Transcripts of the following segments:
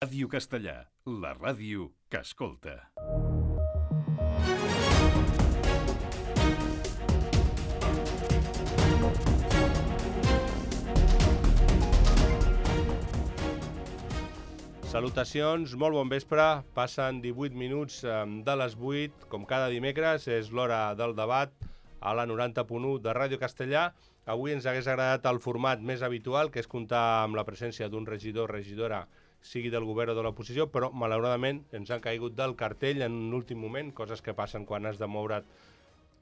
Ràdio Castellà, la ràdio que escolta. Salutacions, molt bon vespre. Passen 18 minuts de les 8. Com cada dimecres, és l'hora del debat a la 90.1 de Ràdio Castellà. Avui ens hagués agradat el format més habitual, que és comptar amb la presència d'un regidor o regidora, sigui del govern o de l'oposició, però malauradament ens han caigut del cartell en l'últim moment, coses que passen quan has de moure't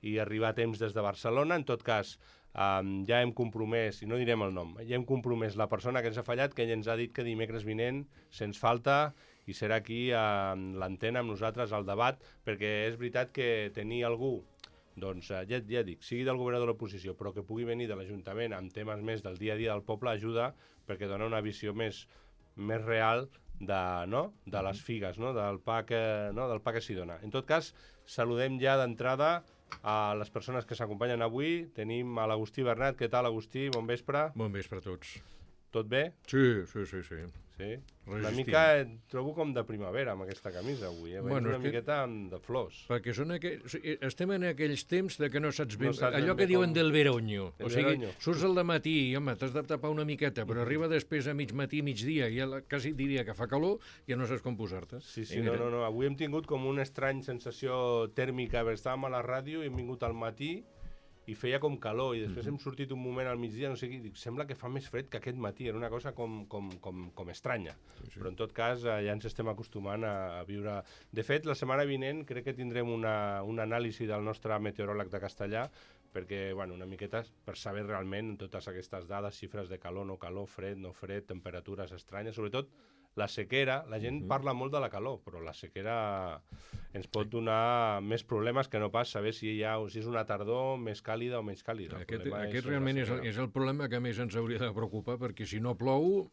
i arribar a temps des de Barcelona. En tot cas, ja hem compromès, i no direm el nom, ja hem compromès la persona que ens ha fallat, que ella ens ha dit que dimecres vinent se'ns falta i serà aquí a l'antena amb nosaltres al debat, perquè és veritat que tenir algú, doncs ja dic, sigui del govern o de l'oposició, però que pugui venir de l'Ajuntament amb temes més del dia a dia del poble ajuda, perquè dona una visió més real de les figues, del pa que s'hi dona. En tot cas, saludem ja d'entrada a les persones que s'acompanyen avui. Tenim a l'Agustí Bernat. Què tal, Agustí? Bon vespre. Bon vespre a tots. Tot bé? Sí. Sí? Resistim. Una mica et trobo com de primavera amb aquesta camisa avui. Bueno, una miqueta de flors. Perquè estem en aquells temps de que no saps ben... No saps allò ben que bé diuen com... del veronyo. Del O sigui, veronyo. surts al dematí i, home, t'has de tapar una miqueta, però arriba després a mig matí, migdia, i ja quasi diria que fa calor, ja no saps com posar-te. Sí, no. Avui hem tingut com una estrany sensació tèrmica. Estàvem a la ràdio i hem vingut al matí i feia com calor, i després hem sortit un moment al migdia, no sé què, dic, sembla que fa més fred que aquest matí, era una cosa com estranya. Sí. Però en tot cas ja ens estem acostumant a viure... De fet, la setmana vinent crec que tindrem un anàlisi del nostre meteoròleg de Castellà, perquè, una miqueta per saber realment totes aquestes dades, xifres de calor, no calor, fred, no fred, temperatures estranyes, sobretot la sequera. La gent parla molt de la calor, però la sequera ens pot donar més problemes que no pas saber si és una tardor més càlida o menys càlida. Aquest realment és el problema que més ens hauria de preocupar, perquè si no plou,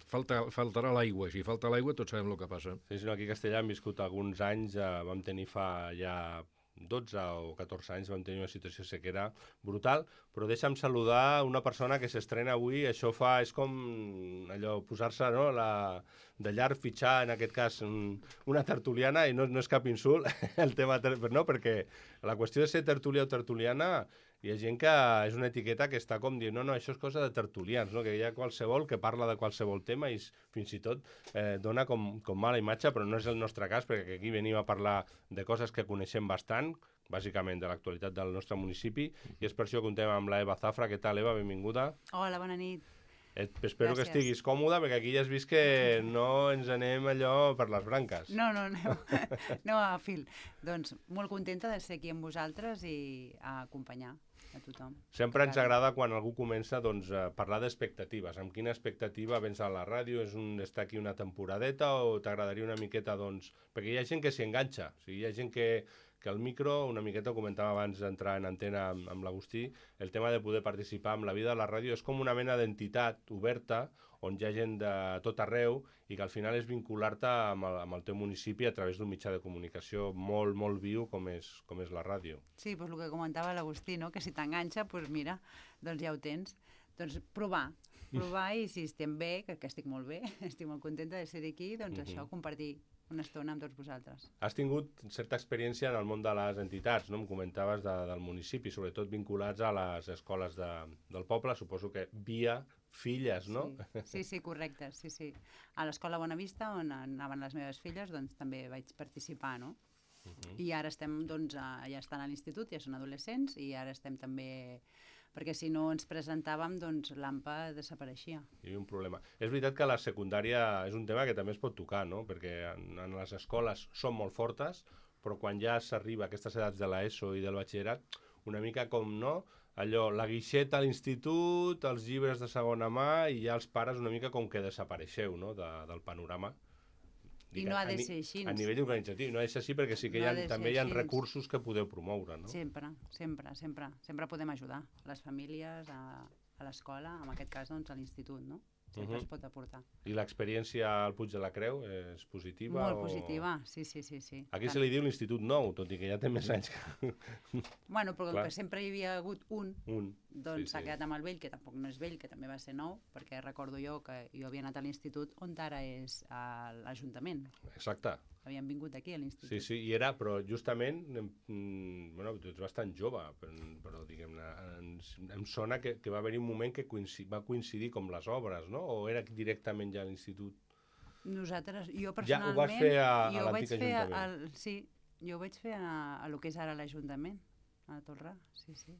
faltarà l'aigua. Si falta l'aigua, tots sabem el que passa. Sí, aquí a Castellà hem viscut alguns anys, vam tenir fa ja 12 o 14 anys, vam tenir una situació de sequera brutal, però deixa'm saludar una persona que s'estrena avui. Això és com allò, posar-se de llarg, fitxar, en aquest cas, una tertuliana, i no és cap insult, el tema, no, perquè la qüestió de ser tertulià o tertuliana, hi ha gent que és una etiqueta que està com dient, no, això és cosa de tertulians, no? Que hi ha qualsevol que parla de qualsevol tema i fins i tot dona com mala imatge, però no és el nostre cas, perquè aquí venim a parlar de coses que coneixem bastant, bàsicament de l'actualitat del nostre municipi, i és per això que contem amb la Eva Zafra. Què tal, Eva? Benvinguda. Hola, bona nit. Espero que estiguis còmoda, perquè aquí ja has vist que no ens anem allò per les branques. No, aneu a fil. Doncs molt contenta de ser aquí amb vosaltres i a acompanyar a tothom. Sempre ens agrada quan algú comença a parlar d'expectatives. Amb quina expectativa vens a la ràdio? És estar aquí una temporadeta o t'agradaria una miqueta, perquè hi ha gent que s'hi enganxa. O sigui, hi ha gent que el micro, una miqueta ho comentava abans d'entrar en antena amb l'Agustí, el tema de poder participar en la vida de la ràdio és com una mena d'entitat oberta on hi ha gent de tot arreu i que al final és vincular-te amb el teu municipi a través d'un mitjà de comunicació molt, molt viu com és la ràdio. Sí, doncs el que comentava l'Agustí, no? Que si t'enganxa, doncs mira, doncs ja ho tens. Doncs provar i si estem bé, que estic molt bé, estic molt contenta de ser aquí, doncs això, compartir una estona amb tots vosaltres. Has tingut certa experiència en el món de les entitats, no? Em comentaves del municipi, sobretot vinculats a les escoles del poble, suposo que via filles, no? Sí, correcte, sí. A l'Escola Bonavista, on anaven les meves filles, doncs també vaig participar, no? I ara estem, doncs, ja estan a l'institut, ja són adolescents, i ara estem també... perquè si no ens presentàvem, doncs l'AMPA desapareixia. Hi havia un problema. És veritat que la secundària és un tema que també es pot tocar, no? Perquè en les escoles són molt fortes, però quan ja s'arriba a aquestes edats de l'ESO i del batxillerat, una mica com, no? Allò, la guixeta a l'institut, els llibres de segona mà, i ja els pares una mica com que desapareixeu, no? Del panorama. I no ha de ser així. A nivell organitzatiu, no ha de ser així perquè sí que també hi ha recursos que podeu promoure, no? Sempre podem ajudar les famílies, a l'escola, en aquest cas, doncs, a l'institut, no? sempre es pot aportar. I l'experiència al Puig de la Creu és positiva? Molt positiva, sí. Aquí se li diu l'Institut Nou, tot i que ja té més anys que... Bueno, però Clar. que sempre hi havia hagut un, doncs sí, s'ha quedat amb el vell, que tampoc no és vell, que també va ser nou, perquè recordo jo que jo havia anat a l'institut on ara és l'Ajuntament. Exacte. Havien vingut aquí a l'institut. Sí, i era, però justament, bueno, tu ets bastant jove, però diguem-ne, em sona que va haver-hi un moment que va coincidir com les obres, no? O era directament ja a l'institut? Nosaltres, jo personalment... Ja ho vas fer a l'antic Ajuntament? Sí, jo ho vaig fer a lo que és ara l'Ajuntament, a Tolrà, sí.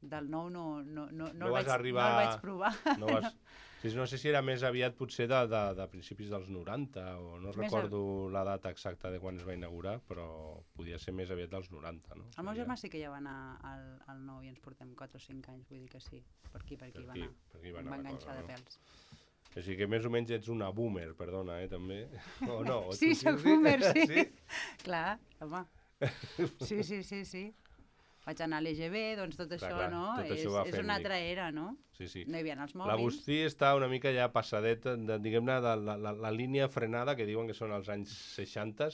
Del nou no el vaig provar. No sé si era més aviat potser de principis dels 90, o no recordo la data exacta de quan es va inaugurar, però podia ser més aviat dels 90, no? El meu germà sí que ja va anar al nou i ens portem 4 o 5 anys, vull dir que sí. Per aquí va anar. Em va enganxar de pèls. O sigui que més o menys ets una boomer, perdona, també. O no? Sí, soc boomer, sí. Clar, home. Sí. Vaig anar a l'EGB, doncs tot això, no? És una altra era, no? Sí. No hi havia els mòbils. L'Agustí està una mica ja passadet, diguem-ne, de la línia frenada, que diuen que són els anys 60.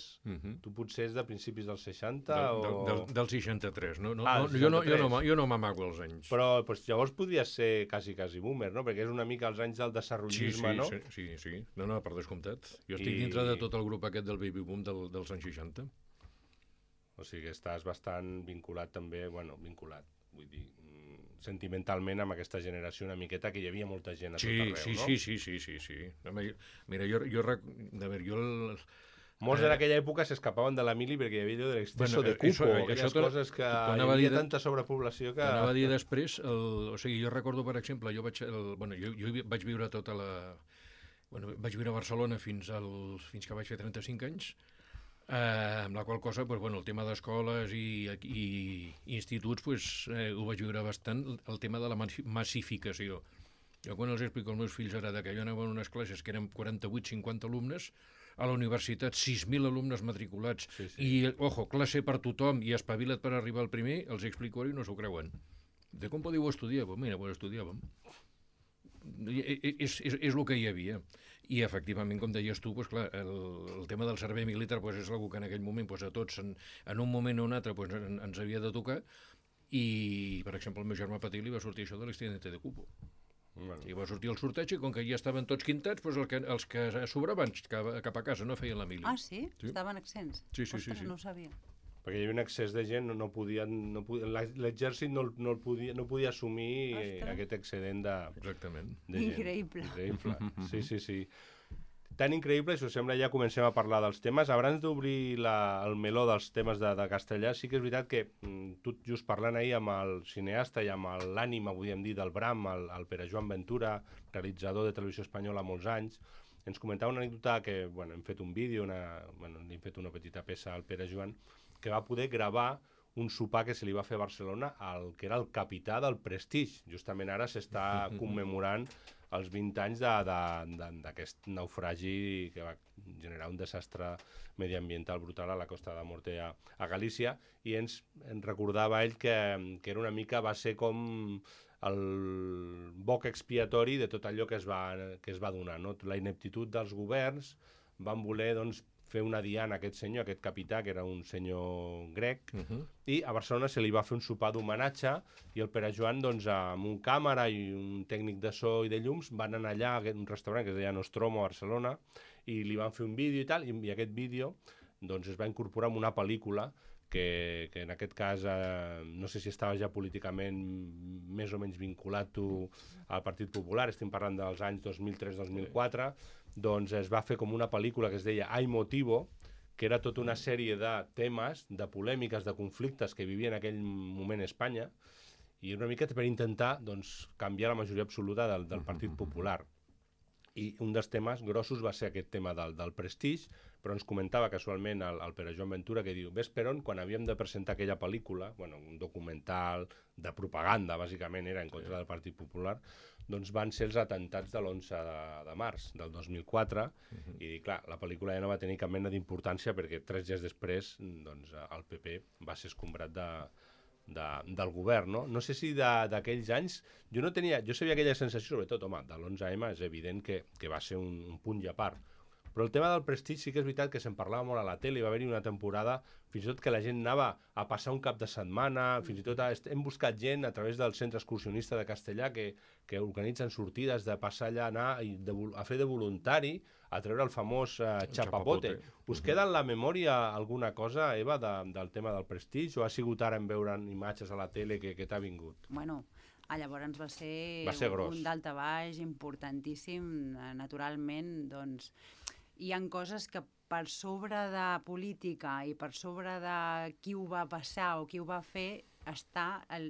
Tu potser és de principis dels 60 o... Del 63, no? Jo no m'amago els anys. Però llavors podries ser quasi boomer, no? Perquè és una mica els anys del desenvolupisme, no? Sí. No, per descomptat. Jo estic dintre de tot el grup aquest del baby boom dels anys 60. O sigui que estàs bastant vinculat també, vull dir, sentimentalment amb aquesta generació una miqueta, que hi havia molta gent a tot arreu, no? Sí. Mira, jo... Molts en aquella època s'escapaven de la mili perquè hi havia allò de l'exceso de cupo, aquelles coses que hi havia tanta sobrepoblació que... T'anava a dir després, o sigui, jo recordo, per exemple, jo vaig viure tota la... vaig viure a Barcelona fins que vaig fer 35 anys, amb la qual cosa, el tema d'escoles i instituts, ho vaig viure bastant, el tema de la massificació. Jo quan els explico als meus fills ara que jo anava en unes classes que eren 48-50 alumnes, a la universitat 6.000 alumnes matriculats, i, classe per tothom i espavila't per arribar al primer, els explico ara i no s'ho creuen. De com podeu estudiar? Mira, estudiàvem. És el que hi havia. I efectivament, com deies tu, clar, el tema del servei militar és una que en aquell moment a tots en un moment o un altre ens havia de tocar, i per exemple al meu germà petit li va sortir això de l'extinente de cupo. I va sortir el sorteig i com que ja estaven tots quintats, els que sobraven cap a casa no feien la mili. Ah, sí? Estaven exempts? Sí. Ostres, no ho sabia. Perquè hi havia un excés de gent, l'exèrcit no podia assumir aquest excedent de gent. Increïble. Sí. Tan increïble, si us sembla, ja comencem a parlar dels temes. Abans d'obrir el meló dels temes de castellà, sí que és veritat que tu just parlant ahir amb el cineasta i amb l'ànima, podríem dir, del Bram, el Pere Joan Ventura, realitzador de Televisió Espanyola molts anys, ens comentava una anècdota que hem fet un vídeo, hem fet una petita peça al Pere Joan, que va poder gravar un sopar que se li va fer a Barcelona al que era el capità del Prestige. Justament ara s'està commemorant els 20 anys d'aquest naufragi que va generar un desastre mediambiental brutal a la Costa de Morte a Galícia, i ens recordava ell que era una mica, va ser com el boc expiatori de tot allò que es va donar, no? La ineptitud dels governs van voler, doncs, fer una diana a aquest senyor, aquest capità, que era un senyor grec, i a Barcelona se li va fer un sopar d'homenatge, i el Pere Joan, doncs, amb un càmera i un tècnic de so i de llums, van anar allà a un restaurant que es deia Nostromo a Barcelona, i li van fer un vídeo i tal, i aquest vídeo doncs, es va incorporar en una pel·lícula que en aquest cas no sé si estava ja políticament més o menys vinculat tu al Partit Popular, estem parlant dels anys 2003-2004, doncs es va fer com una pel·lícula que es deia Hay Motivo, que era tota una sèrie de temes, de polèmiques, de conflictes que vivia en aquell moment Espanya, i una mica per intentar doncs, canviar la majoria absoluta del Partit Popular. I un dels temes grossos va ser aquest tema del Prestige, però ens comentava casualment el Pere Joan Ventura, que diu, ves per on, quan havíem de presentar aquella pel·lícula, un documental de propaganda, bàsicament era en contra del Partit Popular, doncs van ser els atemptats de l'11 de març del 2004, i clar, la pel·lícula ja no va tenir cap mena d'importància perquè 3 dies després doncs, el PP va ser escombrat del govern, no? No sé si d'aquells anys... Jo sabia aquella sensació, sobretot, home, de l'11M és evident que va ser un punt i a part. Però el tema del prestigi sí que és veritat que se'n parlava molt a la tele, va haver-hi una temporada fins i tot que la gent anava a passar un cap de setmana, fins i tot hem buscat gent a través del centre excursionista de Castellà que organitzen sortides de passar allà, anar a fer de voluntari, a treure el famós chapapote. Us queda en la memòria alguna cosa, Eva, del tema del prestigi, o ha sigut ara en veure imatges a la tele que t'ha vingut? Bueno, llavors va ser un daltabaix importantíssim, naturalment, doncs hi ha coses que per sobre de política i per sobre de qui ho va passar o qui ho va fer,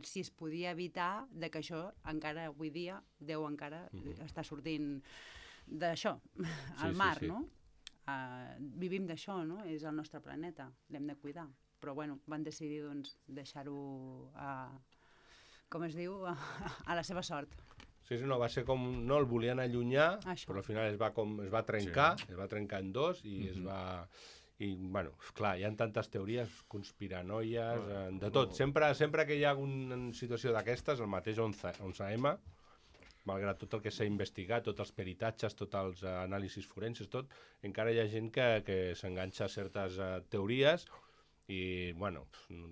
si es podia evitar de que això encara avui dia deu encara estar sortint d'això, al mar, no? Vivim d'això, no? És el nostre planeta, l'hem de cuidar. Però, bueno, van decidir, doncs, deixar-ho, com es diu, a la seva sort. Sí, no, va ser com... No el volien allunyar, però al final es va trencar, es va trencar en dos i es va... I, bueno, clar, hi ha tantes teories, conspiranoies, de tot. Sempre que hi ha una situació d'aquestes, el mateix 11M, malgrat tot el que s'ha investigat, tots els peritatges, tots els anàlisis forenses, tot, encara hi ha gent que s'enganxa a certes teories i, bueno,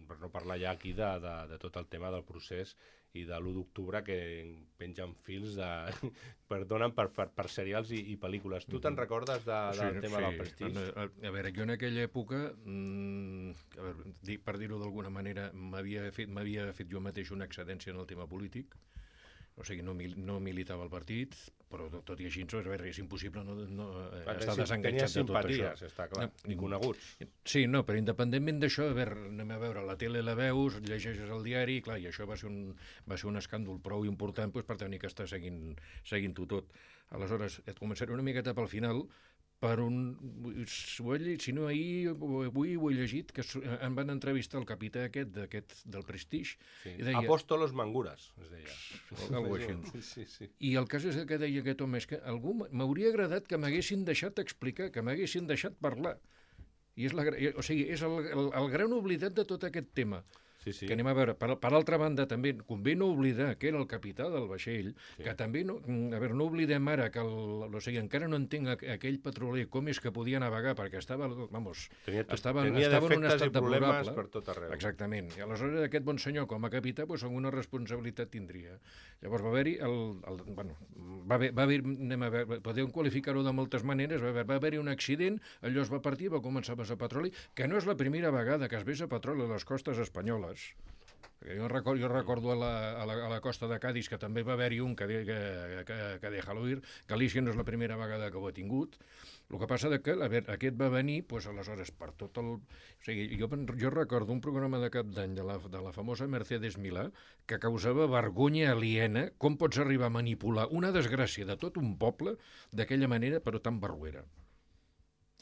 per no parlar ja aquí de tot el tema del procés i de l'1 d'octubre que pengen fils perdonen per serials i pel·lícules. Tu te'n recordes del tema del prestigi? A veure, jo en aquella època, per dir-ho d'alguna manera, m'havia fet jo mateix una excedència en el tema polític. O sigui, no militava al partit, però tot i així és impossible no estar desenganxat de tot això. Tenies simpaties, està clar, i coneguts. Sí, no, però independentment d'això, anem a veure, la tele la veus, llegeixes el diari, clar, i això va ser un escàndol prou important per tenir que estar seguint-ho tot. Aleshores, et començaré una miqueta pel final, si no ahir o avui ho he llegit, que em van entrevistar el capità del Prestige. Sí. Deia, Apóstolos Mangures, es deia. Algo així. Sí. I el cas és que deia aquest home, és que m'hauria agradat que m'haguessin deixat explicar, que m'haguessin deixat parlar. I és el gran oblidat de tot aquest tema. Sí. Que anem a veure, per altra banda també convé no oblidar que era el capità del vaixell, que també no oblidem ara que encara no entenc aquell petroler com és que podia navegar perquè estava tenia en un estat i problemes deplorable per tot arreu. Exactament, i aleshores aquest bon senyor com a capità alguna responsabilitat tindria. Llavors va haver-hi podeu qualificar-ho de moltes maneres, va haver-hi un accident, allò es va partir, va començar a vessar petroli, que no és la primera vegada que es vessa petroli a les costes espanyoles. Jo recordo a la costa de Cádiz que també va haver-hi un que déjalo ir. Galícia no és la primera vegada que ho ha tingut. El que passa que aquest va venir, aleshores, per tot el... O sigui, jo recordo un programa de cap d'any de la famosa Mercedes Milà que causava vergonya aliena. Com pots arribar a manipular una desgràcia de tot un poble d'aquella manera, però tan barruera?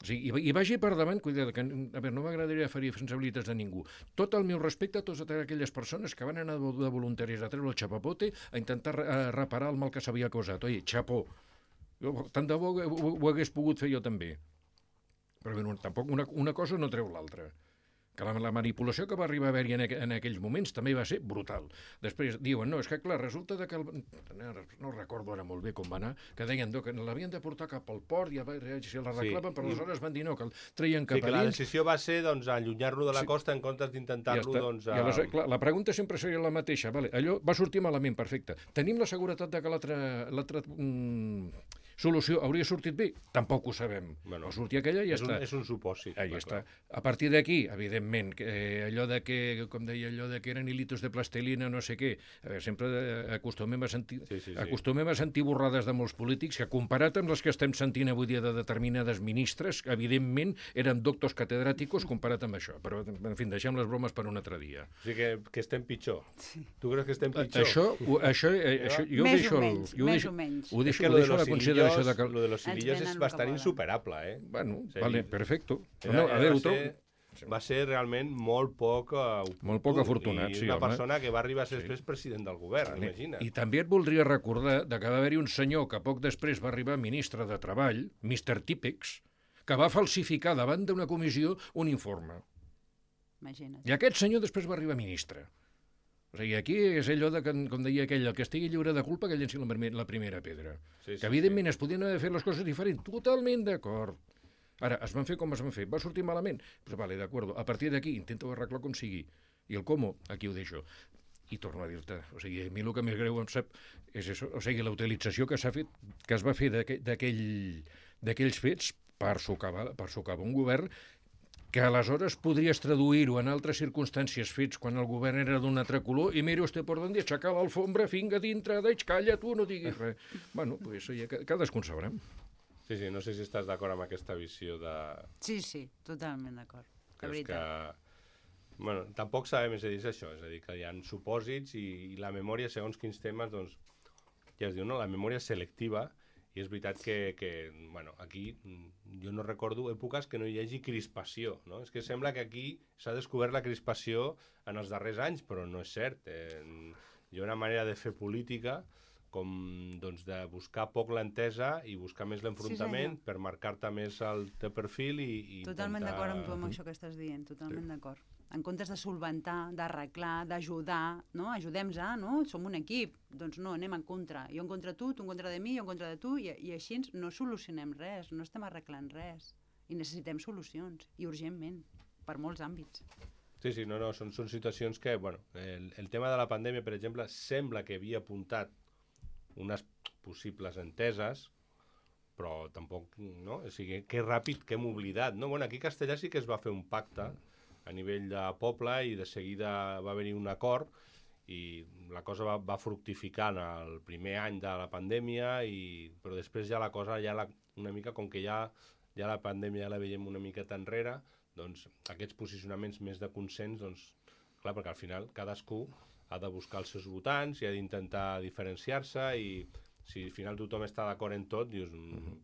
Sí, i vagi per davant, cuidado, que no m'agradaria ferir sensibilitats de ningú. Tot el meu respecte a totes aquelles persones que van anar de voluntaris a treure el chapapote a intentar reparar el mal que s'havia causat. Oi, xapó. Tant de bo ho hagués pogut fer jo també. Però bé, tampoc una cosa no treu l'altra. Que la manipulació que va arribar a haver-hi en aquells moments també va ser brutal. Després diuen, no, és que clar, resulta que no recordo ara molt bé com va anar, que deien que l'havien de portar cap al port i si l'arreglaven, però aleshores van dir no, que el treien cap a dins. La decisió va ser allunyar-lo de la costa en comptes d'intentar-lo... I aleshores, clar, la pregunta sempre seria la mateixa. Allò va sortir malament, perfecte. Tenim la seguretat que l'altra solució hauria sortit bé? Tampoc ho sabem. Bueno, sortir aquella i ja està. És un supòsit. Ja està. A partir d'aquí, evidentment, allò de que, com deia, allò de que eren hilitos de plastilina, no sé què, sempre acostumem a sentir borrades de molts polítics que, comparat amb les que estem sentint avui dia de determinades ministres, evidentment eren doctors catedràticos comparat amb això. Però, en fi, deixem les bromes per un altre dia. O sigui que estem pitjor. Tu creus que estem pitjor? Això jo més o menys. Ho deixo a la consideració. Lo de los hilillos és bastant insuperable, Bueno, vale, perfecto. Va ser realment molt poc afortunat. I una persona que va arribar a ser després president del govern, imagina't. I també et voldria recordar que va haver-hi un senyor que poc després va arribar ministre de Treball, Mr. Típex, que va falsificar davant d'una comissió un informe. Imagina't. I aquest senyor després va arribar ministre. O sigui, aquí és allò de, com deia aquell, el que estigui lliure de culpa que llenci la primera pedra. Sí, Que evidentment es podien haver fet les coses diferents, totalment d'acord. Ara, es van fer com es van fer, va sortir malament? Pues vale, d'acord, a partir d'aquí intento arreglar com sigui. I el com, aquí ho deixo. I torno a dir-te, o sigui, a mi el que més greu em sap és això, o sigui, la utilització que s'ha fet, que es va fer d'aquells fets per socavar un govern que aleshores podries traduir-ho en altres circumstàncies fets quan el govern era d'un altre color i mira usted por donde aixecar l'alfombra, finga dintre, calla tu, no diguis res. Bueno, pues ja cadascun sabrà. Sí, no sé si estàs d'acord amb aquesta visió de... Sí, totalment d'acord. De Creus veritat. que... Bueno, tampoc sabem, és a dir, és això, és a dir, que hi ha supòsits i la memòria, segons quins temes, doncs, ja es diu, no? La memòria selectiva, i és veritat que bueno, aquí jo no recordo èpoques que no hi hagi crispació, no? És que sembla que aquí s'ha descobert la crispació en els darrers anys, però no és cert. Hi ha una manera de fer política com doncs, de buscar poc l'entesa i buscar més l'enfrontament per marcar-te més el teu perfil i Totalment intentar... d'acord amb tu amb això que estàs dient, totalment d'acord. En comptes de solventar, d'arreglar, d'ajudar, no? Ajudem-nos, no? Som un equip. Doncs no, anem en contra. Jo en contra de tu en contra de mi, jo en contra de tu, i així no solucionem res, no estem arreglant res. I necessitem solucions, i urgentment, per molts àmbits. Sí, no, són situacions que, bueno, el tema de la pandèmia, per exemple, sembla que havia apuntat unes possibles enteses, però tampoc, no? O sigui, que ràpid que hem oblidat, no? Bueno, aquí a Castellà sí que es va fer un pacte a nivell de poble i de seguida va haver-hi un acord i la cosa va fructificar en el primer any de la pandèmia, però després ja la cosa, una mica, com que ja la pandèmia ja la veiem una miqueta enrere, doncs aquests posicionaments més de consens, doncs, clar, perquè al final cadascú ha de buscar els seus votants i ha d'intentar diferenciar-se i si al final tothom està d'acord en tot, dius,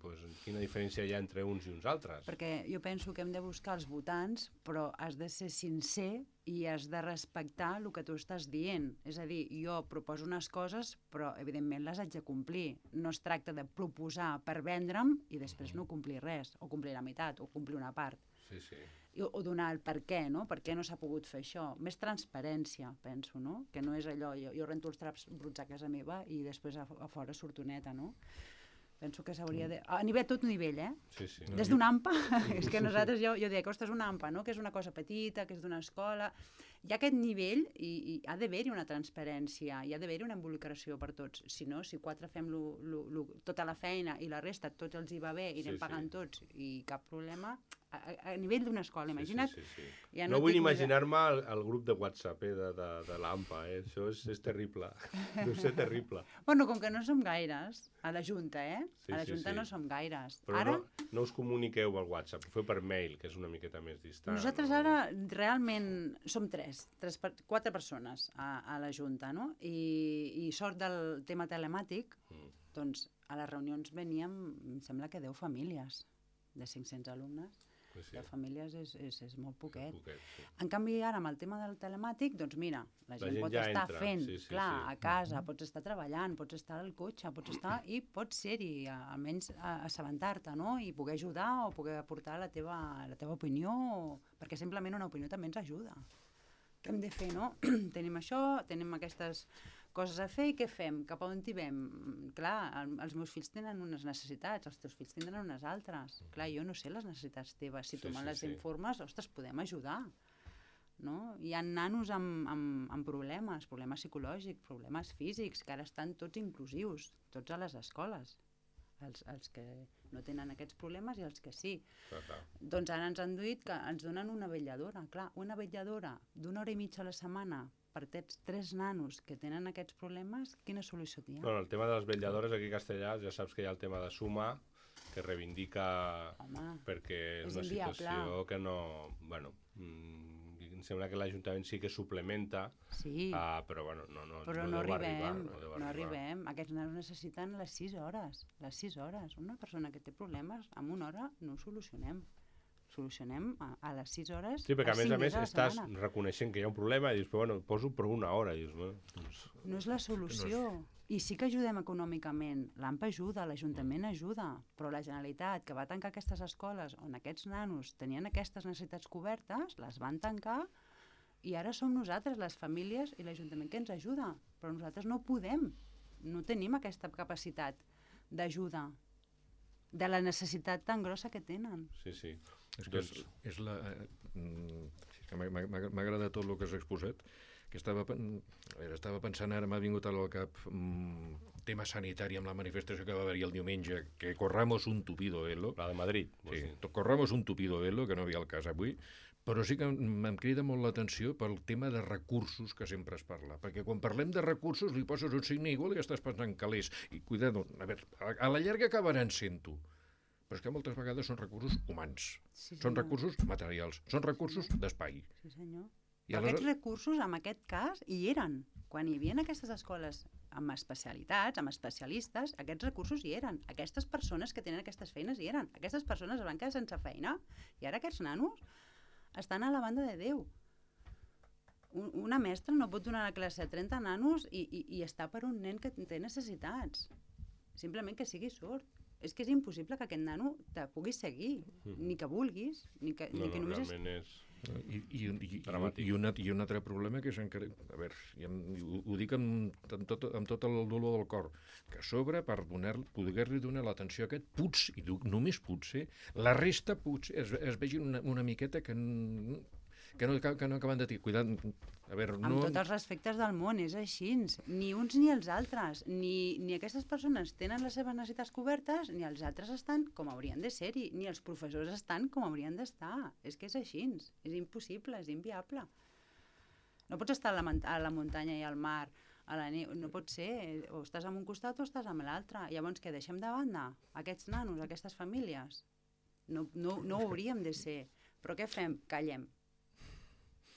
pues, quina diferència hi ha entre uns i uns altres? Perquè jo penso que hem de buscar els votants, però has de ser sincer i has de respectar el que tu estàs dient. És a dir, jo proposo unes coses, però evidentment les haig de complir. No es tracta de proposar per vendre'm i després no complir res, o complir la meitat, o complir una part. Sí. O donar el per què, no? Per què no s'ha pogut fer això? Més transparència, penso, no? Que no és allò, jo rento els traps bruts a casa meva i després a fora surto neta, no? Penso que s'hauria de... A tot nivell, Sí. Des d'un AMPA, és que nosaltres, jo dic, ostres, un AMPA, no? Que és una cosa petita, que és d'una escola... Hi ha aquest nivell i ha d'haver-hi una transparència, hi ha d'haver-hi una involucració per tots. Si no, si 4 fem tota la feina i la resta tots els hi va bé i anem pagant tots i cap problema... A nivell d'una escola, imagina't... Sí. Ja no vull imaginar-me el grup de WhatsApp de l'AMPA, això és terrible, deu ser terrible. Bueno, com que no som gaires, a la Junta, Sí, a la Junta sí. no som gaires. Però Ara, no us comuniqueu al WhatsApp, ho feu per mail, que és una miqueta més distant. nosaltres ara realment som 4 persones a la Junta, no? I sort del tema telemàtic, doncs a les reunions veníem, em sembla que 10 famílies de 500 alumnes. Pues sí. De famílies és molt poquet. Sí. En canvi, ara amb el tema del telemàtic, doncs mira, la gent pot ja estar entra. fent, Sí, clar, a casa, pots estar treballant, pots estar al cotxe, pots estar i pots ser-hi, almenys assabentar-te, no? I poder ajudar o poder aportar la teva opinió, perquè simplement una opinió també ens ajuda. Què hem de fer, no? Tenim això, tenim aquestes coses a fer i què fem? Cap a on hi vam? Clar, els meus fills tenen unes necessitats, els teus fills tindran unes altres. Clar, jo no sé les necessitats teves. Si tu me les informes, ostres, podem ajudar. No? Hi ha nanos amb problemes psicològics, problemes físics, que ara estan tots inclusius, tots a les escoles. Els que no tenen aquests problemes i els que sí. Clar. Doncs ara ens han dit que ens donen una vetlladora. Clar, una vetlladora d'1 hora i mitja a la setmana per 3 nanos que tenen aquests problemes, quina solució hi ha? Bueno, el tema de les vetlladores aquí a Castellà, ja saps que hi ha el tema de Suma, que reivindica perquè és una situació que no... Bueno, em sembla que l'Ajuntament sí que suplementa, però bueno, no arribem. Aquests nanos necessiten les 6 hores. Les 6 hores. Una persona que té problemes, en 1 hora no ho solucionem. Solucionem a les 6 hores. Sí, perquè a més estàs reconeixent que hi ha un problema i dius, però bueno, poso per 1 hora. I dius, bueno, doncs... No és la solució. I sí que ajudem econòmicament. L'AMPA ajuda, l'Ajuntament ajuda, però la Generalitat, que va tancar aquestes escoles on aquests nanos tenien aquestes necessitats cobertes, les van tancar I ara som nosaltres, les famílies i l'Ajuntament, que ens ajuda, però nosaltres no podem, no tenim aquesta capacitat d'ajuda, de la necessitat tan grossa que tenen. Sí, sí. És que és la... M'ha agradat tot el que has exposat, que estava pensant ara, m'ha vingut al cap tema sanitari amb la manifestació que va haver-hi el diumenge, que corramos un tupido velo. La de Madrid. Sí, corramos un tupido velo, que no havia el cas avui, però sí que em crida molt l'atenció pel tema de recursos que sempre es parla, perquè quan parlem de recursos li poses un signe igual i estàs pensant calés, i cuidado, a veure, a la llarga acabaran sent-ho, però és que moltes vegades són recursos humans, són recursos materials, són recursos d'espai. Sí, senyor. I aquests recursos, en aquest cas, hi eren. Quan hi havia aquestes escoles amb especialitats, amb especialistes, aquests recursos hi eren. Aquestes persones que tenen aquestes feines hi eren. Aquestes persones es van quedar sense feina i ara aquests nanos estan a la banda de Déu. Una mestra no pot donar la classe a 30 nanos i està per un nen que té necessitats. Simplement que sigui sord. És que és impossible que aquest nano te pugui seguir, ni que vulguis, ni que només... Realment és... I un altre problema que és encara... A veure, ho dic amb tot el dolor del cor, que a sobre, per poder-li donar l'atenció a aquest, potser, i només potser, la resta potser es vegin una miqueta que no acaben de dir. Cuidant, a veure, no... Amb tots els respectes del món, és així. Ni uns ni els altres. Ni aquestes persones tenen les seves necessitats cobertes, ni els altres estan com haurien de ser-hi, ni els professors estan com haurien d'estar. És que és així. És impossible, és inviable. No pots estar a la muntanya i al mar, a la neu, no pot ser. O estàs en un costat o estàs en l'altre. Llavors, què deixem de banda? Aquests nanos, aquestes famílies? No ho hauríem de ser. Però què fem? Callem.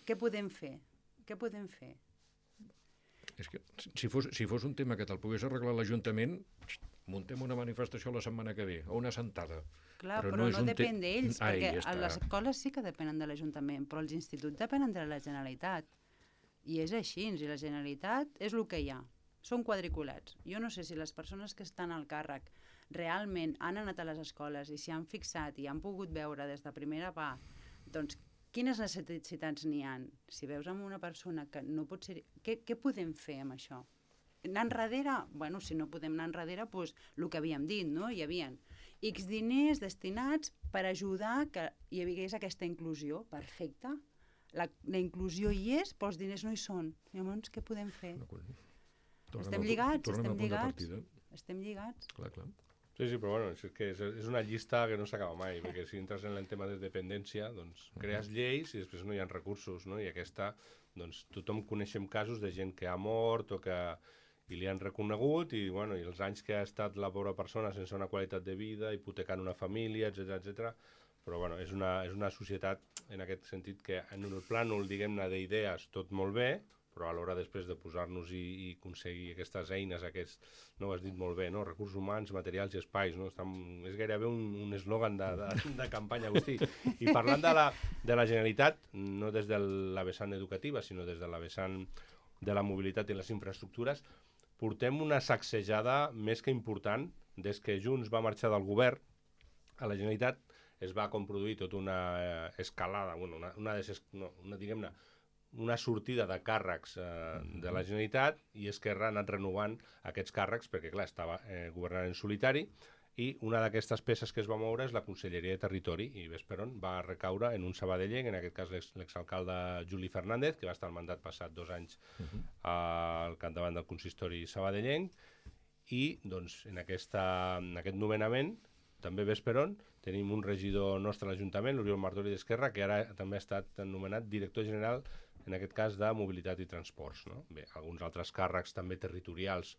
Què podem fer? Què podem fer? És que si fos un tema que te'l pogués arreglar l'Ajuntament, muntem una manifestació la setmana que ve, o una sentada. Clar, però no depèn d'ells, perquè les escoles sí que depenen de l'Ajuntament, però els instituts depenen de la Generalitat. I és així, i la Generalitat és el que hi ha. Són quadriculats. Jo no sé si les persones que estan al càrrec realment han anat a les escoles i s'hi han fixat i han pogut veure des de primera part, doncs, quines necessitats n'hi ha? Si veus amb una persona que no pot ser... Què podem fer amb això? Anar enrere? Bueno, si no podem anar enrere, doncs el que havíem dit, no? Hi havia X diners destinats per ajudar que hi hagués aquesta inclusió. Perfecte. La inclusió hi és, però els diners no hi són. Llavors, què podem fer? Estem lligats. Estem lligats. Clar. Sí, però bueno, és que és una llista que no s'acaba mai, perquè si entres en el tema de dependència, doncs crees lleis i després no hi ha recursos, no? I aquesta, doncs tothom coneixem casos de gent que ha mort o que i li han reconegut i, bueno, i els anys que ha estat la pobra persona sense una qualitat de vida, hipotecant una família, etc. Però bueno, és una societat en aquest sentit que en el plànol, diguem-ne, d'idees tot molt bé, però a l'hora després de posar-nos i aconseguir aquestes eines, no ho has dit molt bé, no? Recursos humans, materials i espais, no? És gairebé un eslògan de campanya, Agustí. I parlant de la Generalitat, no des de la vessant educativa, sinó des de la vessant de la mobilitat i les infraestructures, portem una sacsejada més que important. Des que Junts va marxar del govern, a la Generalitat es va produir tota una escalada, diguem-ne, una sortida de càrrecs de la Generalitat i Esquerra ha anat renovant aquests càrrecs perquè, clar, estava governant en solitari i una d'aquestes peces que es va moure és la Conselleria de Territori i ves per on va recaure en un sabadellenc, en aquest cas l'exalcalde Juli Fernández, que va estar al mandat passat 2 anys al capdavant del consistori sabadellenc i doncs en aquest nomenament també ves per on tenim un regidor nostre a l'Ajuntament, l'Oriol Martori d'Esquerra, que ara també ha estat nomenat director general en aquest cas de mobilitat i transports, no? Bé, alguns altres càrrecs també territorials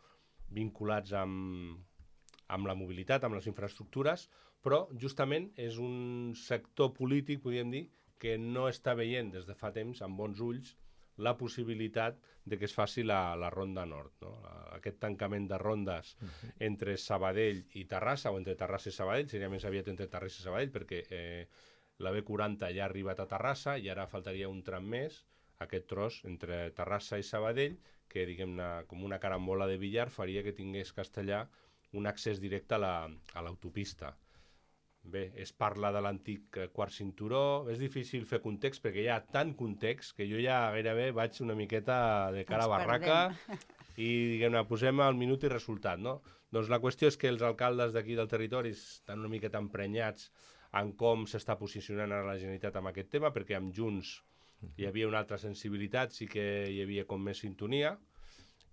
vinculats amb la mobilitat, amb les infraestructures, però justament és un sector polític, podríem dir, que no està veient des de fa temps amb bons ulls la possibilitat de que es faci la Ronda Nord, no? Aquest tancament de rondes entre Sabadell i Terrassa, o entre Terrassa i Sabadell, seria més aviat entre Terrassa i Sabadell, perquè la B40 ja ha arribat a Terrassa i ara faltaria un tram més, aquest tros entre Terrassa i Sabadell, que diguem-ne com una carambola de billar faria que tingués Castellà un accés directe a l'autopista. Bé, es parla de l'antic quart cinturó, és difícil fer context perquè hi ha tant context que jo ja gairebé vaig una miqueta de cara a barraca i, diguem-ne, posem el minut i resultat, no? Doncs la qüestió és que els alcaldes d'aquí del territori estan una miqueta emprenyats en com s'està posicionant ara la Generalitat amb aquest tema, perquè amb Junts hi havia una altra sensibilitat, sí que hi havia com més sintonia,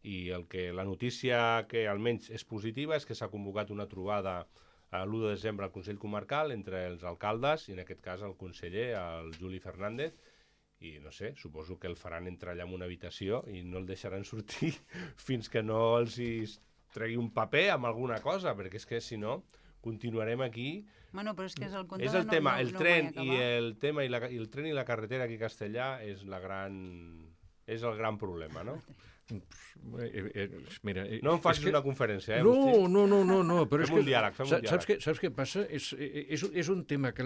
i la notícia que almenys és positiva és que s'ha convocat una trobada l'1 de desembre al Consell Comarcal entre els alcaldes i en aquest cas el conseller, el Juli Fernández, i no sé, suposo que el faran entrar allà en una habitació i no el deixaran sortir fins que no els hi tregui un paper amb alguna cosa, perquè és que si no continuarem aquí. Bueno, però és que és el És el tema, el tren i el tren i la carretera aquí a Castellà és el gran problema, no? Mira, no em facis una conferència, No, però fem un diàleg. Saps què passa? És un tema que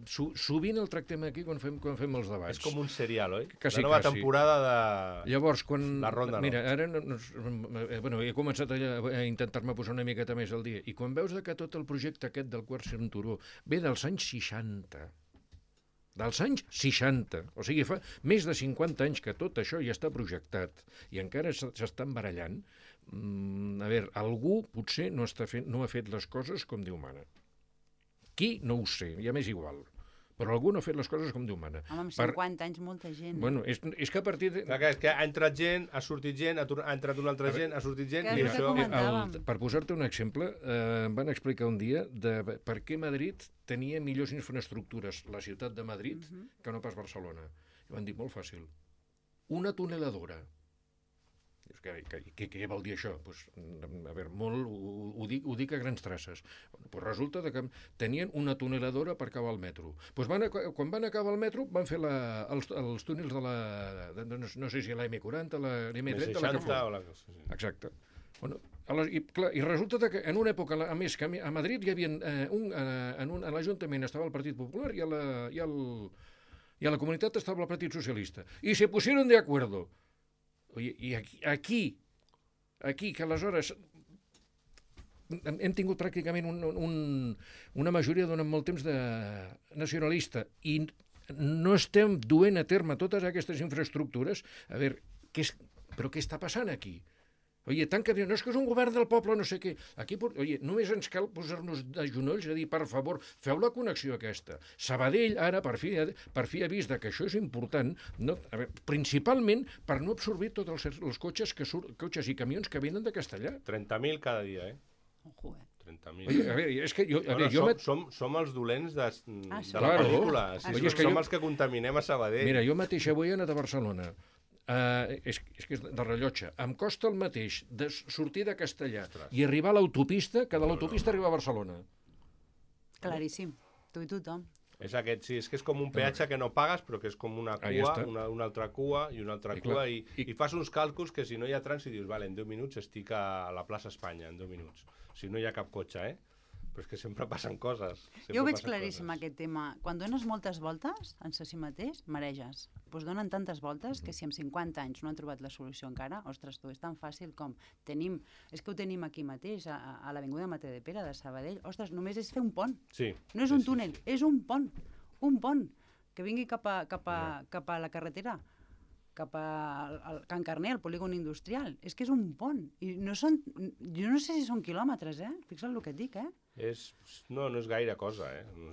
sovint el tractem aquí quan fem els debats. És com un serial, oi? Quasi, la nova temporada de Llavors, quan... la Ronda. Mira, ara he començat a intentar-me posar una miqueta més al dia, i quan veus que tot el projecte aquest del quart cinturó ve dels anys 60, dels anys 60, o sigui, fa més de 50 anys que tot això ja està projectat i encara s'estan barallant, a veure, algú potser no ha fet les coses com Déu mana. Qui? No ho sé, ja m'és igual. Però algú no ha fet les coses com Déu mana. Home, amb 50 anys, molta gent. Bueno, és que a partir de... És que ha entrat gent, ha sortit gent, ha entrat una altra gent, ha sortit gent, i això... Per posar-te un exemple, em van explicar un dia de per què Madrid tenia millors infraestructures, la ciutat de Madrid, que no pas Barcelona. I van dir, molt fàcil, una tuneladora. Què vol dir això? Pues, a veure, ho dic a grans traces. Pues resulta que tenien una tuneladora per acabar el metro. Pues quan van acabar el metro van fer els túnels de no sé si la M40, la M30... M60 Exacte. Bueno, i resulta que en una època, a més, que a Madrid hi havia a l'Ajuntament estava el Partit Popular i a la comunitat estava el Partit Socialista. I se pusieron de acuerdo. Oye, i aquí, que aleshores hem tingut pràcticament una majoria durant molt temps de nacionalista i no estem duent a terme totes aquestes infraestructures, a veure, però què està passant aquí? Oye, tant que diuen, no, és que és un govern del poble, no sé què. Aquí, només ens cal posar-nos de genolls i dir, per favor, feu la connexió aquesta. Sabadell, ara, per fi ha vist que això és important, principalment per no absorbir tots els cotxes i camions que venen de Castellà. 30.000 cada dia, Ojo, 30.000. A veure, és que som els dolents de la Claro. pel·lícula. Som els que contaminem a Sabadell. Mira, jo mateix avui he anat a Barcelona. És que és de rellotge. Em costa el mateix de sortir de Castellà i arribar a l'autopista que de l'autopista arribar a Barcelona. Claríssim. Tu i tothom. És aquest, sí, és que és com un peatge que no pagues, però que és com una cua, una altra cua i una altra cua, i fas uns càlculs que si no hi ha trànsit dius, vale, en 10 minuts estic a la plaça Espanya, en 10 minuts. Si no hi ha cap cotxe, Però és que sempre passen coses. Jo ho veig claríssim, aquest tema. Quan dones moltes voltes en si mateix, mareges. Doncs donen tantes voltes que si en 50 anys no han trobat la solució encara, ostres, tu, és tan fàcil com tenim... És que ho tenim aquí mateix, a l'Avinguda Mateu de Pere, de Sabadell. Ostres, només és fer un pont. Sí. No és un túnel, és un pont. Un pont que vingui cap a la carretera, cap a Can Carner, al polígon industrial. És que és un pont. I jo no sé si són quilòmetres, Fixa't el que et dic, No és gaire cosa,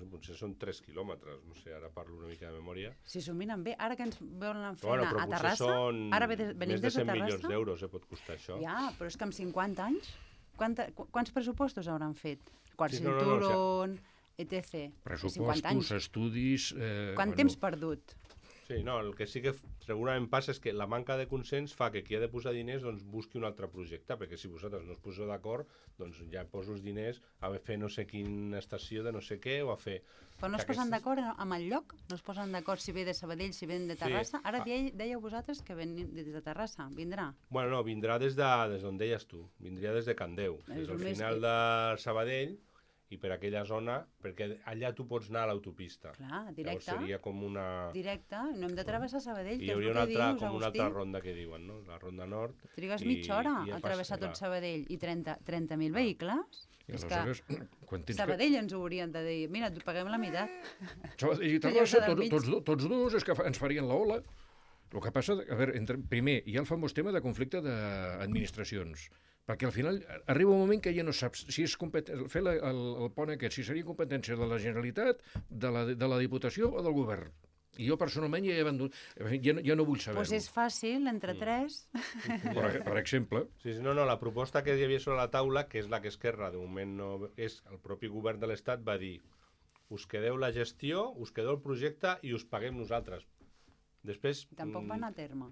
Potser són 3 quilòmetres, no sé, ara parlo una mica de memòria. Si s'ho miren bé, ara que ens volen fer a Terrassa, ara venim des de Terrassa... Més de 100 milions d'euros pot costar això. Ja, però és que amb 50 anys, quants pressupostos hauran fet? Quart cinturón, etc. Pressupostos, estudis... Quant temps perdut? Sí, no, el que sí que segurament passa és que la manca de consens fa que qui ha de posar diners busqui un altre projecte, perquè si vosaltres no us poseu d'acord, doncs ja poso els diners a fer no sé quina estació de no sé què o a fer... Però no es posen d'acord amb el lloc? No es posen d'acord si ve de Sabadell, si ve de Terrassa? Ara dèieu vosaltres que ven des de Terrassa, vindrà? Bueno, no, vindrà des d'on deies tu, vindria des de Candeu, des del final de Sabadell, i per aquella zona, perquè allà tu pots anar a l'autopista. Clar, Llavors directe. seria com una... Directe, no hem de travessar Sabadell, I hi que és hauria el una que altra, dius, com una Agustí. altra ronda que diuen, no? La ronda nord. Trigues mitja hora ja a fas- travessar tot clar. Sabadell i 30.000 vehicles. I És que aleshores, quan tens Sabadell ens ho haurien de dir, mira, et paguem la meitat. Sabadell i Ja Terrassa, queda mig. tots dos, és que ens farien la ola. El que passa, a veure, primer, hi ha el famós tema de conflicte d'administracions, perquè al final arriba un moment que ja no saps si és fer el pont aquest, si seria competència de la Generalitat, de la Diputació o del Govern. I jo personalment ja he abandonat, ja no vull saber-ho. Doncs és fàcil, entre tres. Per exemple, Sí, no, la proposta que hi havia sobre la taula, que és la que Esquerra de moment no... és el propi govern de l'Estat va dir us quedeu la gestió, us quedeu el projecte i us paguem nosaltres. Després... Tampoc va anar a terme.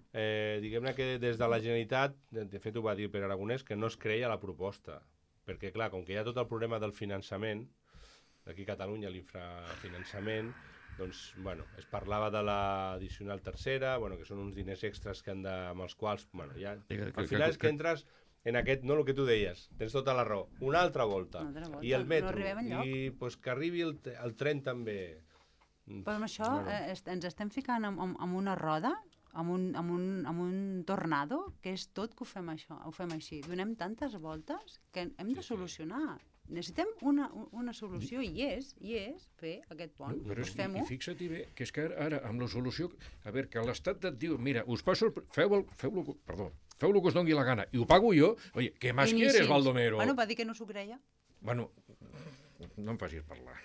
Diguem-ne que des de la Generalitat, de fet ho va dir Pere Aragonès, que no es creia la proposta. Perquè, clar, com que hi ha tot el problema del finançament, d'aquí a Catalunya, l'infrafinançament, doncs, bueno, es parlava de l'addicional tercera, bueno, que són uns diners extras que han de, amb els quals, bueno, ja... Al final és que entres en aquest, no el que tu deies, tens tota la raó, una altra volta. Una altra volta. I el metro, No arribem enlloc. i pues, que arribi el tren també. Però amb això ens estem ficant en una roda, en un tornado, que és tot que ho fem així. Donem tantes voltes que hem de solucionar. Necessitem una solució i és fer aquest pont. Però Doncs fem-ho. i fixa't bé, que és que ara amb la solució, a veure, que l'Estat et diu, mira, us passo feu el que us doni la gana, i ho pago jo, oye, ¿qué más quieres, Baldomero? Bueno, va dir que no s'ho creia. Bueno, no em facis parlar.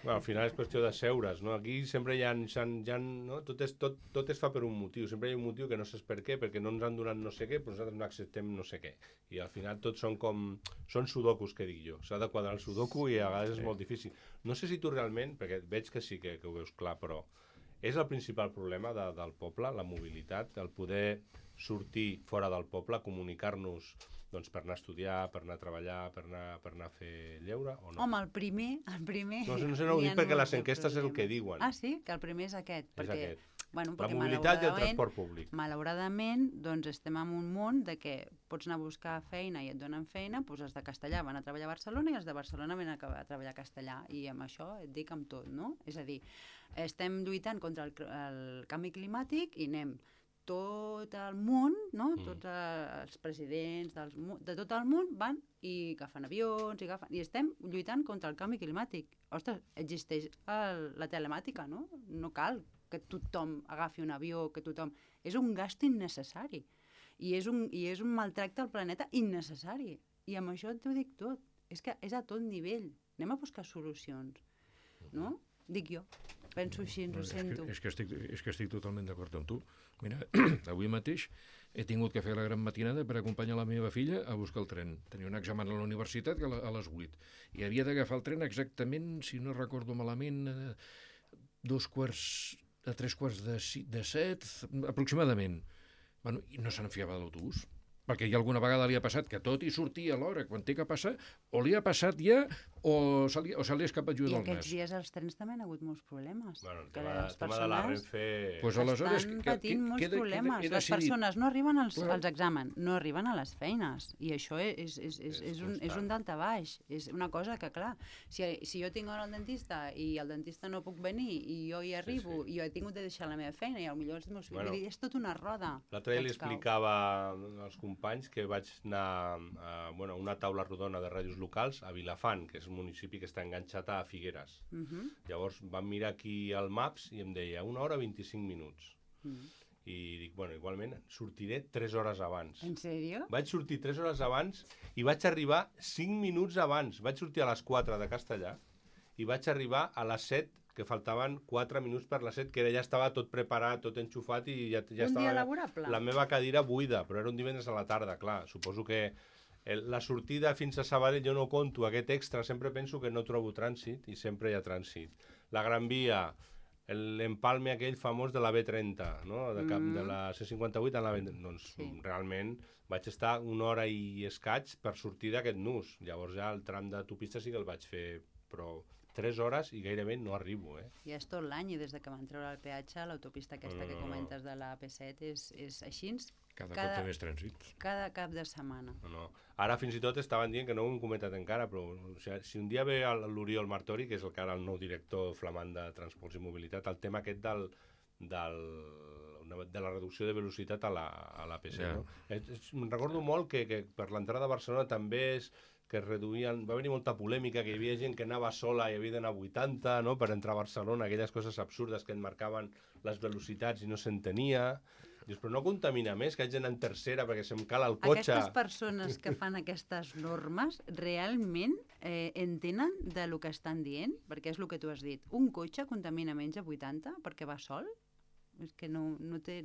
Bueno, al final és qüestió de seure's, no? Aquí sempre no? Tot es fa per un motiu, sempre hi ha un motiu que no saps per què, perquè no ens han donat no sé què, però nosaltres no acceptem no sé què. I al final tots són sudokus, que dic jo. S'ha de quadrar el sudoku i a vegades és molt difícil. No sé si tu realment, perquè veig que sí que ho veus clar, però és el principal problema del poble, la mobilitat, el poder sortir fora del poble, comunicar-nos doncs per anar a estudiar, per anar a treballar, per anar a fer lleure, o no? Home, el primer... No sé, no ho dic perquè les enquestes és el que diuen. Ah, sí? Que el primer és aquest. És aquest. Bueno, La perquè mobilitat i el transport públic. Malauradament, doncs estem en un món de que pots anar a buscar feina i et donen feina, doncs els de Castellà van a treballar a Barcelona i els de Barcelona van a treballar a Castellà. I amb això et dic amb tot, no? És a dir, estem lluitant contra el canvi climàtic i anem tot el món, no? Tots els presidents de tot el món van i agafen avions, i estem lluitant contra el canvi climàtic. Ostres, existeix la telemàtica, no? No cal que tothom agafi un avió, que tothom... És un gast innecessari. I és un maltracte al planeta innecessari. I amb això t'ho dic tot. És que és a tot nivell. Anem a buscar solucions. No? Dic jo. Penso així, ens ho sento. És que estic totalment d'acord amb tu. Mira, avui mateix he tingut que fer la gran matinada per acompanyar la meva filla a buscar el tren. Tenia un examen a la universitat a les 8. I havia d'agafar el tren exactament, si no recordo malament, a 6:45, aproximadament. Bueno, i no se'n fiava de l'autobús. Perquè ja alguna vegada li ha passat que tot hi sortia a l'hora, quan té que passar, o li ha passat ja, o se li ha escapat lluir del nas. I aquests dies els trens també han hagut molts problemes. Bueno, el que tema les de la persones Renfe... Pues aleshores, estan patint molts problemes. Les persones no arriben als exàmens, no arriben a les feines. I això és un daltabaix. És una cosa que, clar, si jo tinc hora al dentista i el dentista no puc venir i jo hi arribo i jo he tingut de deixar la meva feina i potser els meus fills... És tot una roda. L'altre dia li explicava als companys que vaig anar a una taula rodona de ràdios locals a Vilafant, que és un municipi que està enganxat a Figueres. Llavors vam mirar aquí al Maps i em deia 1 hora 25 minuts. I dic, bueno, igualment sortiré 3 hores abans. En sèrio? Vaig sortir 3 hores abans i vaig arribar 5 minuts abans. Vaig sortir a les 4 de Castellà i vaig arribar a les 7, que faltaven 4 minuts per les 7, que ja estava tot preparat, tot enxufat i ja estava... Un dia laborable? La meva cadira buida, però era un divendres a la tarda, clar. Suposo que la sortida fins a Sabadell jo no conto aquest extra, sempre penso que no trobo trànsit i sempre hi ha trànsit. La Gran Via, l'empalme aquell famós de la B30, no? De la C58 a la B30. Doncs realment vaig estar 1 hora i escaig per sortir d'aquest nus. Llavors ja el tram d'autopista sí que el vaig fer, però 3 hores i gairebé no arribo, I és tot l'any, i des de que van treure el peatge, l'autopista aquesta que comentes de la AP7 és així. Cada cop té més trànsit. Cada cap de setmana. No. Ara fins i tot estaven dient, que no ho hem comentat encara, però o sigui, si un dia ve l'Oriol Martori, que és el que ara el nou director flamant de Transports i Mobilitat, el tema aquest de la reducció de velocitat a l'AP7. Ja. No? Me'n recordo molt que per l'entrada a Barcelona també que es reduïen, va haver molta polèmica, que hi havia gent que anava sola i havia d'anar a 80, no?, per entrar a Barcelona, aquelles coses absurdes que et marcaven les velocitats i no s'entenia. Dius, però no contamina més, que haig d'anar en tercera perquè se'm cala el cotxe. Aquestes persones que fan aquestes normes realment entenen de lo que estan dient? Perquè és el que tu has dit. Un cotxe contamina menys a 80 perquè va sol? És que no té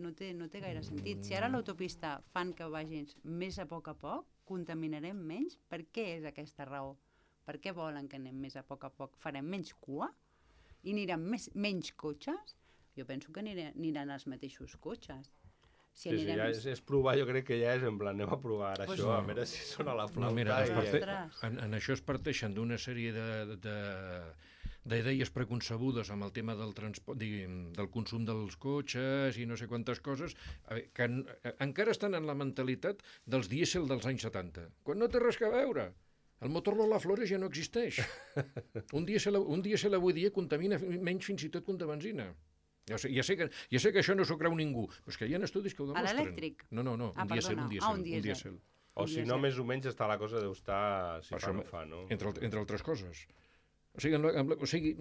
gaire sentit. Si ara l'autopista fan que vagin més a poc, contaminarem menys? Per què és aquesta raó? Per què volen que anem més a poc? Farem menys cua? I aniran menys cotxes? Jo penso que aniran els mateixos cotxes. Sí, ja és provar, jo crec que ja és en plan, anem a provar ara això, a veure si sona la flauta. No, mira, en això es parteixen d'una sèrie d'idees preconcebudes amb el tema del transport, del consum dels cotxes i no sé quantes coses, que encara estan en la mentalitat dels dièsel dels anys 70, quan no té res a veure. El motor Lola Flores ja no existeix. Un dièsel avui dia contamina menys fins i tot que un de benzina. Ja sé que això no s'ho creu ningú, però és que hi ha estudis que ho demostren. A l'elèctric? No, un dièsel. O si no, més o menys està la cosa deu estar si fa o no fa, no? Entre altres coses. O sigui,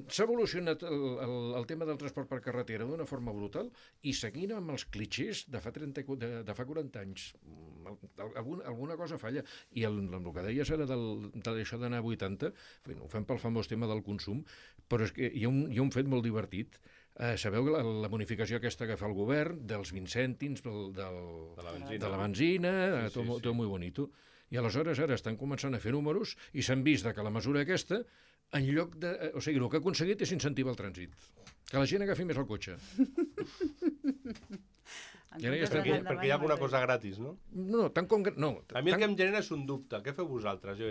s'ha evolucionat el tema del transport per carretera d'una forma brutal i seguint amb els clitxers de fa 40 anys. Alguna cosa falla. I el que deies ara d'això d'anar a 80, ho fem pel famós tema del consum, però és que hi ha un fet molt divertit. Sabeu la bonificació aquesta que fa el govern dels 20 cèntims de la benzina, tot molt bonito. I aleshores ara estan començant a fer números i s'han vist que la mesura aquesta, en lloc de... O sigui, el que ha aconseguit és incentivar el trànsit. Que la gent agafi més el cotxe. Perquè hi ha alguna cosa gratis, no? No, tant com... No, a mi el que em genera és un dubte. Què feu vosaltres?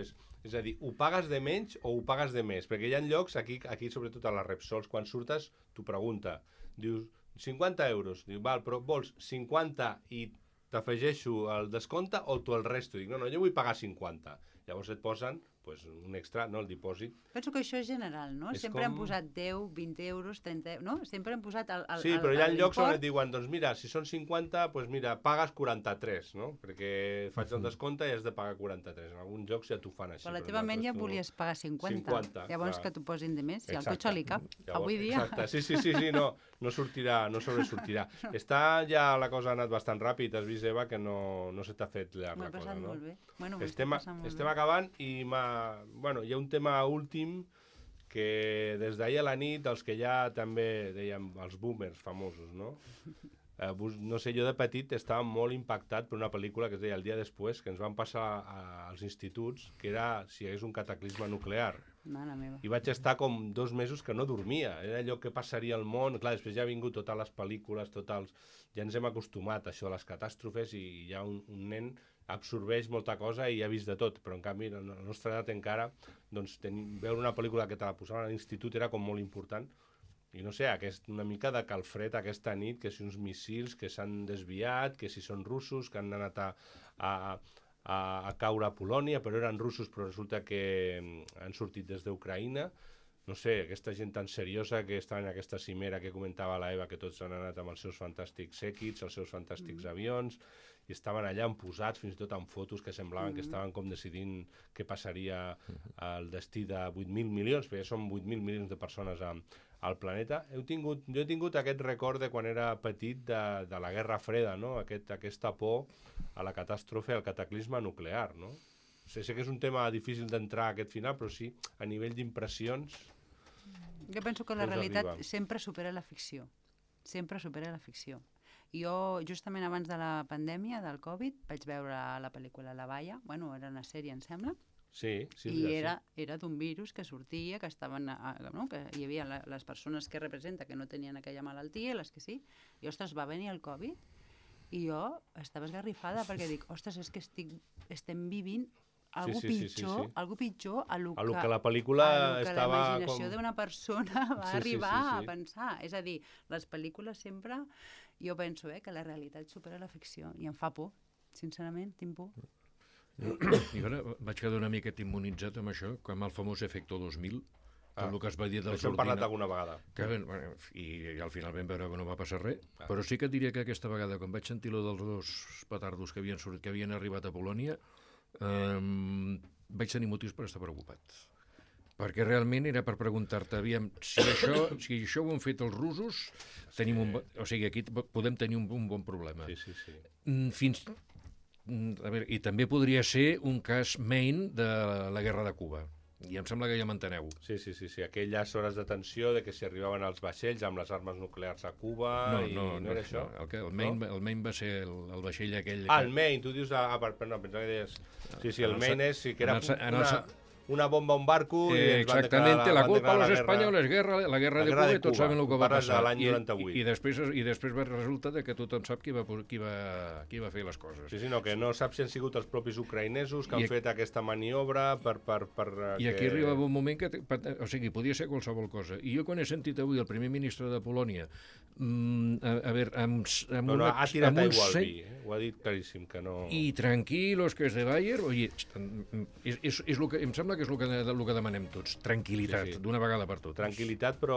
És a dir, ho pagues de menys o ho pagues de més? Perquè hi ha llocs, aquí sobretot a les Repsols, quan surtes, t'ho pregunta. Dius, 50 euros. Diu, val, però vols 50 i t'afegeixo el descompte o tu el resto? Dic, no, jo vull pagar 50. Llavors et posen un extra, no, el dipòsit. Penso que això és general, no? Sempre han posat 10, 20 euros, 30 euros, no? Sempre han posat el sí, però hi ha llocs on et diuen, doncs mira, si són 50, doncs mira, pagues 43, no? Perquè faig el descompte i has de pagar 43. En alguns llocs ja t'ho fan així. Però la teva ment ja volies pagar 50. Llavors que t'ho posin de més, si al cotxe li cap. Avui dia. Exacte, sí, no sortirà, no sobresortirà. Està ja, la cosa ha anat bastant ràpid, has vist, Eva, que no se t'ha fet la cosa, no? M'ho he passat molt bé. Bueno, estem acabant i hi ha un tema últim que des d'ahir a la nit, els que ja també dèiem, els boomers famosos, no? No sé, jo de petit estava molt impactat per una pel·lícula que es deia El dia després, que ens van passar als instituts, que era si hi hagués un cataclisme nuclear. Mare meva. I vaig estar com 2 mesos que no dormia. Era allò que passaria al món. Clar, després ja ha vingut totes les pel·lícules, ja ens hem acostumat a això de les catàstrofes i ja un nen absorbeix molta cosa i ha vist de tot, però en canvi a la nostra edat encara veure una pel·lícula que te la posaven a l'institut era com molt important i no sé, una mica de calfred aquesta nit, que si uns missils que s'han desviat, que si són russos que han anat a caure a Polònia, però eren russos però resulta que han sortit des d'Ucraïna. No sé, aquesta gent tan seriosa que està en aquesta cimera que comentava la Eva, que tots han anat amb els seus fantàstics séquits, els seus fantàstics avions, i estaven allà posats, fins i tot amb fotos que semblaven que estaven com decidint què passaria al destí de 8.000 milions, perquè són 8.000 milions de persones al planeta. Jo he tingut aquest record de quan era petit de la Guerra Freda, no? Aquesta por a la catàstrofe, al cataclisme nuclear, no? Sé que és un tema difícil d'entrar a aquest final, però sí, a nivell d'impressions... Jo penso que la realitat sempre supera la ficció. Sempre supera la ficció. Jo, justament abans de la pandèmia, del Covid, vaig veure la pel·lícula La Baia, bueno, era una sèrie, em sembla, sí, i era d'un virus que sortia, que estaven, no? Que hi havia les persones que representa que no tenien aquella malaltia i les que sí, i ostres, va venir el Covid i jo estava esgarrifada perquè dic, ostres, és que estem vivint algú pitjor a lo a lo que la pel·lícula estava la imaginació d'una persona va arribar a pensar. És a dir, les pel·lícules sempre, jo penso que la realitat supera la ficció i em fa por, sincerament, tinc por. I ara vaig quedar una miqueta immunitzat amb això, com el famós efecte 2000, tot el que es va dir dels Això hem parlat alguna vegada. I al final vam veure que no va passar res, però sí que et diria que aquesta vegada, quan vaig sentir lo dels dos petardos que havien arribat a Polònia, vaig tenir motius per estar preocupat. Perquè realment era per preguntar-te, aviam, si això ho han fet els russos, aquí podem tenir un bon problema. A veure, i també podria ser un cas Maine de la guerra de Cuba. I em sembla que ja m'enteneu. Sí. Aquelles hores de tensió de que si arribaven els vaixells amb les armes nuclears a Cuba... No era això? El Maine va ser el vaixell aquell... El Maine, tu dius... no, pensava que deies... Sí, el Maine és... Sí, que era una bomba a un barco... Exactamente, la culpa a los españoles, la guerra de Cuba, i tots saben el que va passar. L'any 98. I després resulta que tothom sap qui va fer les coses. Sí, no, que no sap si han sigut els propis ucraïnesos que han fet aquesta maniobra per... I aquí arribava un moment que... O sigui, podia ser qualsevol cosa. I jo quan he sentit avui el primer ministre de Polònia a veure, ha tirat aigua al vi, ho ha dit claríssim, que no... I tranquilos, que és de Bayer, oye, és el que em sembla que és el que demanem tots, tranquil·litat, d'una vegada per totes. Tranquil·litat, però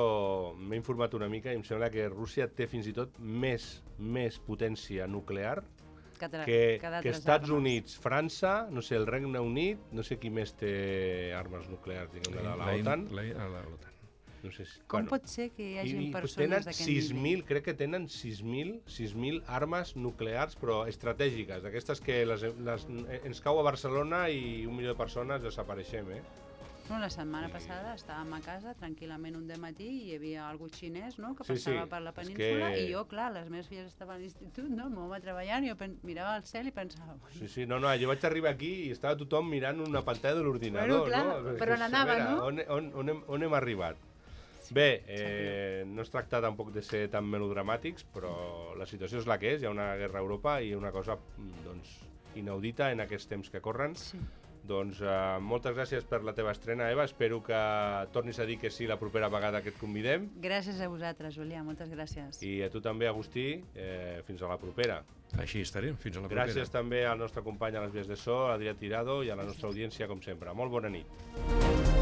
m'he informat una mica i em sembla que Rússia té fins i tot més potència nuclear que Estats Units, França, no sé, el Regne Unit, no sé qui més té armes nuclears, diguem, de l'OTAN. L'OTAN. No sé com pot ser que hi hagi persones d'aquest nivell? Crec que tenen 6.000 armes nuclears, però estratègiques, d'aquestes que ens cau a Barcelona i 1 milió de persones desapareixem, No, la setmana passada estàvem a casa tranquil·lament un dematí i hi havia algú xinès, no?, que passava per la península i jo, clar, les meves filles estaven a l'institut, no?, m'ho va treballant i jo mirava al cel i pensava... No, jo vaig arribar aquí i estava tothom mirant una pantalla de l'ordinador, no? Per on anava, no? On hem arribat? Bé, no es tracta tampoc de ser tan melodramàtics, però la situació és la que és, hi ha una guerra a Europa i una cosa inaudita en aquests temps que corren. Doncs moltes gràcies per la teva estrena, Eva. Espero que tornis a dir que sí la propera vegada que et convidem. Gràcies a vosaltres, Julià, moltes gràcies. I a tu també, Agustí, fins a la propera. Així estarem, fins a la propera. Gràcies també al nostre company a les vies de so, Adrià Tirado, i a la nostra audiència, com sempre. Molt bona nit.